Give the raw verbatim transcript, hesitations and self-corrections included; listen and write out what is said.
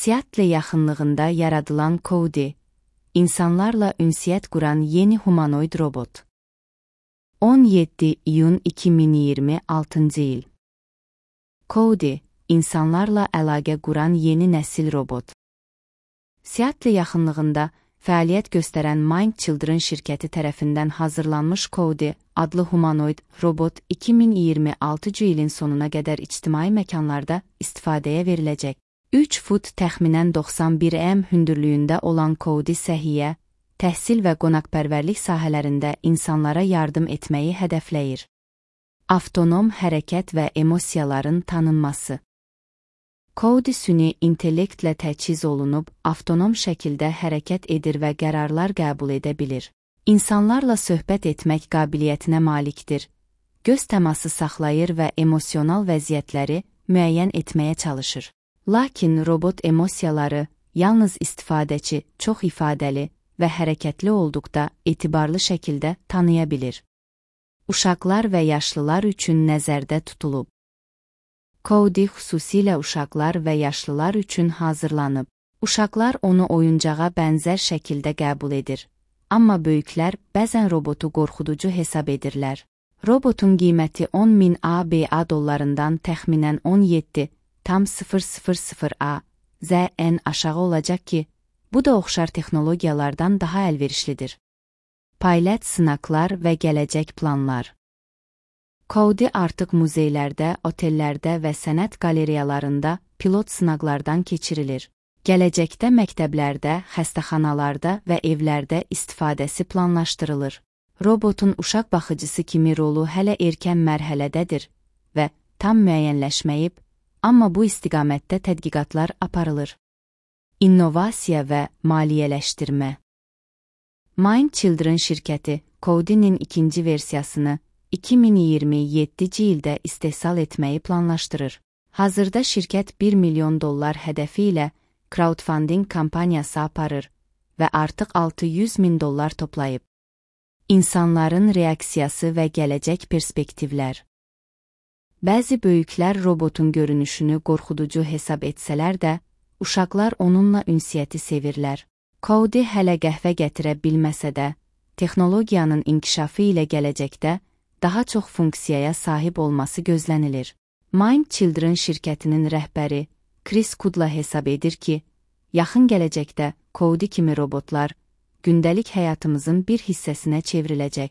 Seattle yaxınlığında yaradılan Cody, insanlarla ünsiyyət quran yeni humanoid robot. on yeddi iyun iki min iyirmi altıncı il. Cody, insanlarla əlaqə quran yeni nəsil robot. Seattle yaxınlığında fəaliyyət göstərən Mind Children şirkəti tərəfindən hazırlanmış Cody adlı humanoid robot iki min iyirmi altıncı ilin sonuna qədər ictimai məkanlarda istifadəyə veriləcək. üç fut təxminən doxsan bir metr hündürlüyündə olan Cody səhiyyə, təhsil və qonaqpərvərlik sahələrində insanlara yardım etməyi hədəfləyir. Avtonom hərəkət və emosiyaların tanınması. Cody süni intellektlə təchiz olunub, avtonom şəkildə hərəkət edir və qərarlar qəbul edə bilir. İnsanlarla söhbət etmək qabiliyyətinə malikdir. Göz təması saxlayır və emosional vəziyyətləri müəyyən etməyə çalışır. Lakin robot emosiyaları yalnız istifadəçi çox ifadəli və hərəkətli olduqda etibarlı şəkildə tanıya bilir. Uşaqlar və yaşlılar üçün nəzərdə tutulub. Cody xüsusilə uşaqlar və yaşlılar üçün hazırlanıb. Uşaqlar onu oyuncağa bənzər şəkildə qəbul edir. Amma böyüklər bəzən robotu qorxuducu hesab edirlər. Robotun qiyməti on min ABA dollarından təxminən on yeddi tam sıfır sıfır sıfır A Z N aşağı olacaq ki, bu da oxşar texnologiyalardan daha əlverişlidir. Pilot sınaqlar və gələcək planlar. Cody artıq muzeylərdə, otellərdə və sənət qaleriyalarında pilot sınaqlardan keçirilir. Gələcəkdə məktəblərdə, xəstəxanalarda və evlərdə istifadəsi planlaşdırılır. Robotun uşaq baxıcısı kimi rolu hələ erkən mərhələdədir və tam müəyyənləşməyib, amma bu istiqamətdə tədqiqatlar aparılır. İnnovasiya və maliyyələşdirmə. Mind Children şirkəti Cody'nin ikinci versiyasını iki min iyirmi yeddinci ildə istehsal etməyi planlaşdırır. Hazırda şirkət bir milyon dollar hədəfi ilə crowdfunding kampaniyası aparır və artıq altı yüz min dollar toplayıb. İnsanların reaksiyası və gələcək perspektivlər. Bəzi böyüklər robotun görünüşünü qorxuducu hesab etsələr də, uşaqlar onunla ünsiyyəti sevirlər. Cody hələ qəhvə gətirə bilməsə də, texnologiyanın inkişafı ilə gələcəkdə daha çox funksiyaya sahib olması gözlənilir. Mind Children şirkətinin rəhbəri Chris Kudla hesab edir ki, yaxın gələcəkdə Cody kimi robotlar gündəlik həyatımızın bir hissəsinə çevriləcək.